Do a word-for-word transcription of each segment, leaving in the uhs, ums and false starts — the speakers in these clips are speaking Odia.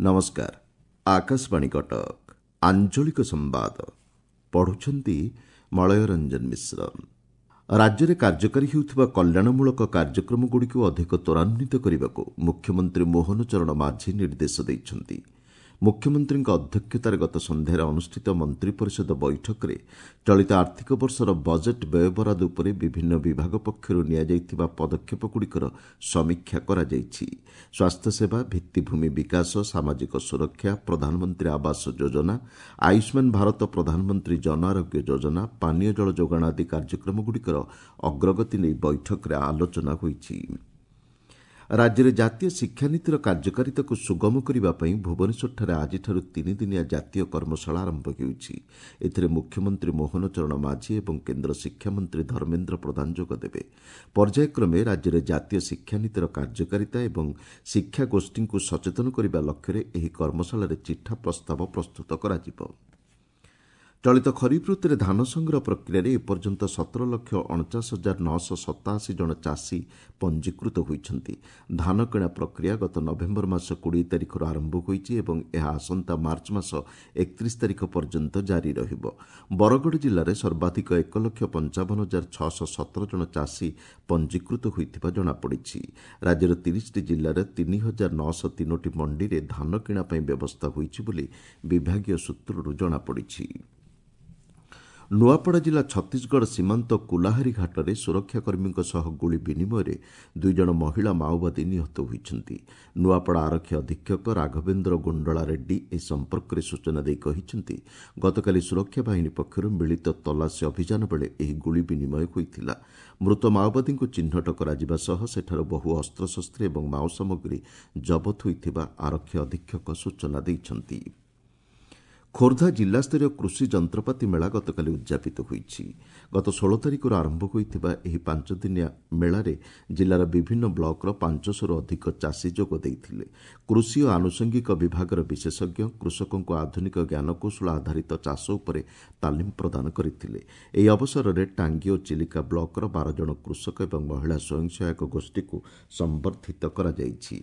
ନମସ୍କାର ଆକାଶବାଣୀ କଟକ ଆଞ୍ଚଳିକ ସମ୍ବାଦ ପଢୁଛନ୍ତି ମଳୟ ରଞ୍ଜନ ମିଶ୍ର ରାଜ୍ୟରେ କାର୍ଯ୍ୟକାରୀ ହେଉଥିବା କଲ୍ୟାଣମୂଳକ କାର୍ଯ୍ୟକ୍ରମଗୁଡ଼ିକୁ ଅଧିକ ତ୍ୱରାନ୍ୱିତ କରିବାକୁ ମୁଖ୍ୟମନ୍ତ୍ରୀ ମୋହନ ଚରଣ ମାଝୀ ନିର୍ଦ୍ଦେଶ ଦେଇଛନ୍ତି ମୁଖ୍ୟମନ୍ତ୍ରୀଙ୍କ ଅଧ୍ୟକ୍ଷତାରେ ଗତ ସନ୍ଧ୍ୟାରେ ଅନୁଷ୍ଠିତ ମନ୍ତ୍ରୀ ପରିଷଦ ବୈଠକରେ ଚଳିତ ଆର୍ଥିକ ବର୍ଷର ବଜେଟ୍ ବ୍ୟୟବରାଦ ଉପରେ ବିଭିନ୍ନ ବିଭାଗ ପକ୍ଷରୁ ନିଆଯାଇଥିବା ପଦକ୍ଷେପଗୁଡ଼ିକର ସମୀକ୍ଷା କରାଯାଇଛି ସ୍ୱାସ୍ଥ୍ୟସେବା ଭିତ୍ତିଭୂମି ବିକାଶ ସାମାଜିକ ସୁରକ୍ଷା ପ୍ରଧାନମନ୍ତ୍ରୀ ଆବାସ ଯୋଜନା ଆୟୁଷ୍ମାନ ଭାରତ ପ୍ରଧାନମନ୍ତ୍ରୀ ଜନ ଆରୋଗ୍ୟ ଯୋଜନା ପାନୀୟ ଜଳ ଯୋଗାଣ ଆଦି କାର୍ଯ୍ୟକ୍ରମଗୁଡ଼ିକର ଅଗ୍ରଗତି ନେଇ ବୈଠକରେ ଆଲୋଚନା ହୋଇଛି ରାଜ୍ୟରେ ଜାତୀୟ ଶିକ୍ଷାନୀତିର କାର୍ଯ୍ୟକାରିତାକୁ ସୁଗମ କରିବା ପାଇଁ ଭୁବନେଶ୍ୱରଠାରେ ଆଜିଠାରୁ ତିନିଦିନିଆ ଜାତୀୟ କର୍ମଶାଳା ଆରମ୍ଭ ହେଉଛି ଏଥିରେ ମୁଖ୍ୟମନ୍ତ୍ରୀ ମୋହନ ଚରଣ ମାଝୀ ଏବଂ କେନ୍ଦ୍ର ଶିକ୍ଷାମନ୍ତ୍ରୀ ଧର୍ମେନ୍ଦ୍ର ପ୍ରଧାନ ଯୋଗଦେବେ ପର୍ଯ୍ୟାୟକ୍ରମେ ରାଜ୍ୟରେ ଜାତୀୟ ଶିକ୍ଷାନୀତିର କାର୍ଯ୍ୟକାରିତା ଏବଂ ଶିକ୍ଷାଗୋଷ୍ଠୀଙ୍କୁ ସଚେତନ କରିବା ଲକ୍ଷ୍ୟରେ ଏହି କର୍ମଶାଳାରେ ଚିଠା ପ୍ରସ୍ତାବ ପ୍ରସ୍ତୁତ କରାଯିବ ଚଳିତ ଖରିଫ ଋତୁରେ ଧାନ ସଂଗ୍ରହ ପ୍ରକ୍ରିୟାରେ ଏପର୍ଯ୍ୟନ୍ତ ସତର ଲକ୍ଷ ଅଣଚାଶ ହଜାର ନଅଶହ ସତାଅଶୀ ଜଣ ଚାଷୀ ପଞ୍ଜୀକୃତ ହୋଇଛନ୍ତି ଧାନ କିଣା ପ୍ରକ୍ରିୟା ଗତ ନଭେମ୍ବର ମାସ କୋଡ଼ିଏ ତାରିଖରୁ ଆରମ୍ଭ ହୋଇଛି ଏବଂ ଏହା ଆସନ୍ତା ମାର୍ଚ୍ଚ ମାସ ଏକତିରିଶ ତାରିଖ ପର୍ଯ୍ୟନ୍ତ ଜାରି ରହିବ ବରଗଡ଼ ଜିଲ୍ଲାରେ ସର୍ବାଧିକ ଏକ ଲକ୍ଷ ପଞ୍ଚାବନ ହଜାର ଛଅଶହ ସତର ଜଣ ଚାଷୀ ପଞ୍ଜୀକୃତ ହୋଇଥିବା ଜଣାପଡ଼ିଛି ରାଜ୍ୟର ତିରିଶଟି ଜିଲ୍ଲାରେ ତିନି ହଜାର ନଅଶହ ତିନୋଟି ମଣ୍ଡିରେ ଧାନ କିଣା ପାଇଁ ବ୍ୟବସ୍ଥା ହୋଇଛି ବୋଲି ବିଭାଗୀୟ ସୂତ୍ରରୁ ଜଣାପଡ଼ିଛି ନୂଆପଡ଼ା ଜିଲ୍ଲା ଛତିଶଗଡ଼ ସୀମାନ୍ତ କୁଲାହାରୀ ଘାଟରେ ସୁରକ୍ଷାକର୍ମୀଙ୍କ ସହ ଗୁଳି ବିନିମୟରେ ଦୁଇଜଣ ମହିଳା ମାଓବାଦୀ ନିହତ ହୋଇଛନ୍ତି ନୂଆପଡ଼ା ଆରକ୍ଷୀ ଅଧୀକ୍ଷକ ରାଘବେନ୍ଦ୍ର ଗୁଣ୍ଡଳା ରେଡ୍ଡୀ ଏ ସମ୍ପର୍କରେ ସୂଚନା ଦେଇ କହିଛନ୍ତି ଗତକାଲି ସୁରକ୍ଷା ବାହିନୀ ପକ୍ଷରୁ ମିଳିତ ତଲାସୀ ଅଭିଯାନ ବେଳେ ଏହି ଗୁଳି ବିନିମୟ ହୋଇଥିଲା ମୃତ ମାଓବାଦୀଙ୍କୁ ଚିହ୍ନଟ କରାଯିବା ସହ ସେଠାରୁ ବହୁ ଅସ୍ତ୍ରଶସ୍ତ୍ର ଏବଂ ମାଓ ସାମଗ୍ରୀ ଜବତ ହୋଇଥିବା ଆରକ୍ଷୀ ଅଧୀକ୍ଷକ ସୂଚନା ଦେଇଛନ୍ତି ଖୋର୍ଦ୍ଧା ଜିଲ୍ଲାସ୍ତରୀୟ କୃଷି ଯନ୍ତ୍ରପାତି ମେଳା ଗତକାଲି ଉଦ୍ଯାପିତ ହୋଇଛି ଗତ ଷୋହଳ ତାରିଖରୁ ଆରମ୍ଭ ହୋଇଥିବା ଏହି ପାଞ୍ଚଦିନିଆ ମେଳାରେ ଜିଲ୍ଲାର ବିଭିନ୍ନ ବ୍ଲକର ପାଞ୍ଚଶହରୁ ଅଧିକ ଚାଷୀ ଯୋଗ ଦେଇଥିଲେ କୃଷି ଓ ଆନୁଷଙ୍ଗିକ ବିଭାଗର ବିଶେଷଜ୍ଞ କୃଷକଙ୍କୁ ଆଧୁନିକ ଜ୍ଞାନକୌଶଳ ଆଧାରିତ ଚାଷ ଉପରେ ତାଲିମ ପ୍ରଦାନ କରିଥିଲେ ଏହି ଅବସରରେ ଟାଙ୍ଗୀ ଓ ଚିଲିକା ବ୍ଲକର ବାର ଜଣ କୃଷକ ଏବଂ ମହିଳା ସ୍ୱୟଂ ସହାୟକ ଗୋଷ୍ଠୀକୁ ସମ୍ବର୍ଦ୍ଧିତ କରାଯାଇଛି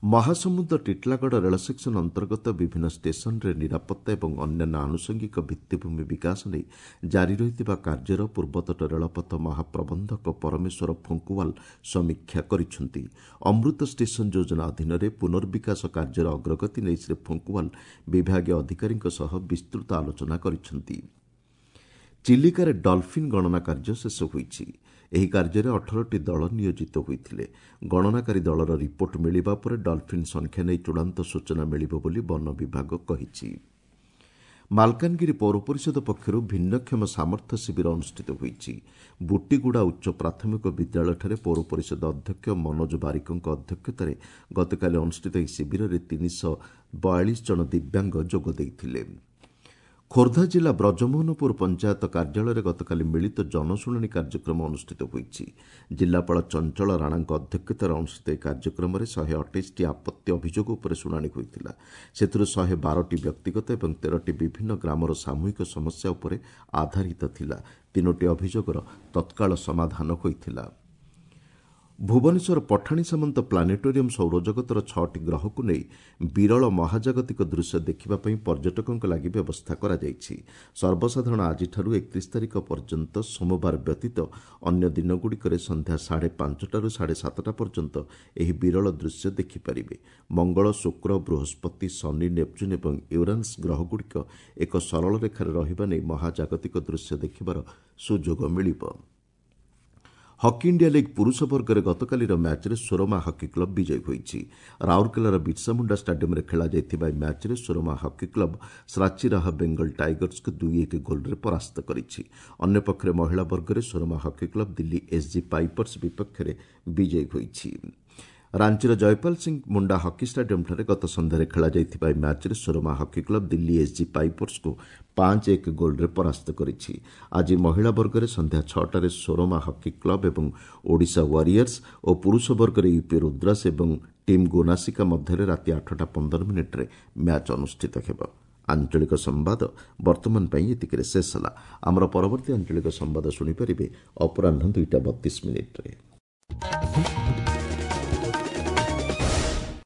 ମହାସମୁଦ ଟିଟିଲାଗଡ଼ ରେଳ ସେକ୍ସନ ଅନ୍ତର୍ଗତ ବିଭିନ୍ନ ଷ୍ଟେସନରେ ନିରାପତ୍ତା ଏବଂ ଅନ୍ୟାନ୍ୟ ଆନୁଷଙ୍ଗିକ ଭିତ୍ତିଭୂମି ବିକାଶ ନେଇ ଜାରି ରହିଥିବା କାର୍ଯ୍ୟର ପୂର୍ବତଟ ରେଳପଥ ମହାପ୍ରବନ୍ଧକ ପରମେଶ୍ୱର ଫୁଙ୍କୁୱାଲ ସମୀକ୍ଷା କରିଛନ୍ତି ଅମୃତ ଷ୍ଟେସନ ଯୋଜନା ଅଧୀନରେ ପୁନର୍ବିକାଶ କାର୍ଯ୍ୟର ଅଗ୍ରଗତି ନେଇ ଶ୍ରୀ ଫୁଙ୍କୁୱାଲ ବିଭାଗୀୟ ଅଧିକାରୀଙ୍କ ସହ ବିସ୍ତୃତ ଆଲୋଚନା କରିଛନ୍ତି ଚିଲିକାରେ ଡଲଫିନ୍ ଗଣନା କାର୍ଯ୍ୟ ଶେଷ ହୋଇଛି ଏହି କାର୍ଯ୍ୟରେ ଅଠରଟି ଦଳ ନିୟୋଜିତ ହୋଇଥିଲେ ଗଣନାକାରୀ ଦଳର ରିପୋର୍ଟ ମିଳିବା ପରେ ଡଲଫିନ୍ ସଂଖ୍ୟା ନେଇ ଚୂଡ଼ାନ୍ତ ସୂଚନା ମିଳିବ ବୋଲି ବନ ବିଭାଗ କହିଛି ମାଲକାନଗିରି ପୌର ପରିଷଦ ପକ୍ଷରୁ ଭିନ୍ନକ୍ଷମ ସାମର୍ଥ୍ୟ ଶିବିର ଅନୁଷ୍ଠିତ ହୋଇଛି ବୁଟିଗୁଡ଼ା ଉଚ୍ଚ ପ୍ରାଥମିକ ବିଦ୍ୟାଳୟଠାରେ ପୌର ପରିଷଦ ଅଧ୍ୟକ୍ଷ ମନୋଜ ବାରିକଙ୍କ ଅଧ୍ୟକ୍ଷତାରେ ଗତକାଲି ଅନୁଷ୍ଠିତ ଏହି ଶିବିରରେ ତିନିଶହ ବୟାଳିଶ ଜଣ ଦିବ୍ୟାଙ୍ଗ ଯୋଗ ଦେଇଥିଲେ ଖୋର୍ଦ୍ଧା ଜିଲ୍ଲା ବ୍ରଜମୋହନପୁର ପଞ୍ଚାୟତ କାର୍ଯ୍ୟାଳୟରେ ଗତକାଲି ମିଳିତ ଜନଶୁଣାଣି କାର୍ଯ୍ୟକ୍ରମ ଅନୁଷ୍ଠିତ ହୋଇଛି ଜିଲ୍ଲାପାଳ ଚଞ୍ଚଳ ରାଣାଙ୍କ ଅଧ୍ୟକ୍ଷତାରେ ଅନୁଷ୍ଠିତ ଏହି କାର୍ଯ୍ୟକ୍ରମରେ ଶହେ ଅଠେଇଶଟି ଆପତ୍ତି ଅଭିଯୋଗ ଉପରେ ଶୁଣାଣି ହୋଇଥିଲା ସେଥିରୁ ଶହେ ବାରଟି ବ୍ୟକ୍ତିଗତ ଏବଂ ତେରଟି ବିଭିନ୍ନ ଗ୍ରାମର ସାମୂହିକ ସମସ୍ୟା ଉପରେ ଆଧାରିତ ଥିଲା ତିନୋଟି ଅଭିଯୋଗର ତତ୍କାଳ ସମାଧାନ ହୋଇଥିଲା ଭୁବନେଶ୍ୱର ପଠାଣି ସାମନ୍ତ ପ୍ଲାନେଟୋରିୟମ୍ ସୌରଜଗତର ଛଅଟି ଗ୍ରହକୁ ନେଇ ବିରଳ ମହାଜାଗତିକ ଦୃଶ୍ୟ ଦେଖିବା ପାଇଁ ପର୍ଯ୍ୟଟକଙ୍କ ଲାଗି ବ୍ୟବସ୍ଥା କରାଯାଇଛି ସର୍ବସାଧାରଣ ଆଜିଠାରୁ ଏକତିରିଶ ତାରିଖ ପର୍ଯ୍ୟନ୍ତ ସୋମବାର ବ୍ୟତୀତ ଅନ୍ୟ ଦିନଗୁଡ଼ିକରେ ସନ୍ଧ୍ୟା ସାଢ଼େ ପାଞ୍ଚଟାରୁ ସାଢ଼େ ସାତଟା ପର୍ଯ୍ୟନ୍ତ ଏହି ବିରଳ ଦୃଶ୍ୟ ଦେଖିପାରିବେ ମଙ୍ଗଳ ଶୁକ୍ର ବୃହସ୍ପତି ଶନି ନେପଚୁନ୍ ଏବଂ ୟୁରାନସ୍ ଗ୍ରହଗୁଡ଼ିକ ଏକ ସରଳ ରେଖାରେ ରହିବା ନେଇ ମହାଜାଗତିକ ଦୃଶ୍ୟ ଦେଖିବାର ସୁଯୋଗ ମିଳିବ ହକି ଇଣ୍ଡିଆ ଲିଗ୍ ପୁରୁଷ ବର୍ଗରେ ଗତକାଲିର ମ୍ୟାଚ୍ରେ ସୋରମା ହକି କ୍ଲବ୍ ବିଜୟୀ ହୋଇଛି ରାଉରକେଲାର ବିର୍ସାମୁଣ୍ଡା ଷ୍ଟାଡିୟମ୍ରେ ଖେଳାଯାଇଥିବା ଏହି ମ୍ୟାଚ୍ରେ Soorma hockey club Shrachi Rarh Bengal ଟାଇଗର୍ସକୁ ଦୁଇ ଏକ ଗୋଲ୍ରେ ପରାସ୍ତ କରିଛି ଅନ୍ୟପକ୍ଷରେ ମହିଳା ବର୍ଗରେ Soorma hockey club Delhi SG pipers ବିପକ୍ଷରେ ବିଜୟୀ ହୋଇଛି ରାଞ୍ଚିର ଜୟପାଲ ସିଂ ମୁଣ୍ଡା ହକି ଷ୍ଟାଡିୟମ୍ଠାରେ ଗତ ସନ୍ଧ୍ୟାରେ ଖେଳାଯାଇଥିବା ଏହି ମ୍ୟାଚ୍ରେ Soorma hockey club Delhi SG ପାଇପର୍ସକୁ ପାଞ୍ଚ ଏକ ଗୋଲ୍ରେ ପରାସ୍ତ କରିଛି ଆଜି ମହିଳା ବର୍ଗରେ ସନ୍ଧ୍ୟା ଛଅଟାରେ ସୋରମା ହକି କ୍ଲବ୍ ଏବଂ ଓଡ଼ିଶା ୱାରିୟର୍ସ ଓ ପୁରୁଷ ବର୍ଗରେ ୟୁପି ରୁଦ୍ରାସ ଏବଂ ଟିମ୍ ଗୋନାସିକା ମଧ୍ୟରେ ରାତି ଆଠଟା ପନ୍ଦର ମିନିଟ୍ରେ ମ୍ୟାଚ୍ ଅନୁଷ୍ଠିତ ହେବ ଆଞ୍ଚଳିକ ସମ୍ବାଦ ବର୍ତ୍ତମାନ ପାଇଁ ଏତିକିରେ ଶେଷ ହେଲା ଆମର ପରବର୍ତ୍ତୀ ଆଞ୍ଚଳିକ ସମ୍ବାଦ ଶୁଣିପାରିବେ ଅପରାହ୍ନ ଦୁଇଟା ବତିଶ ମିନିଟ୍ରେ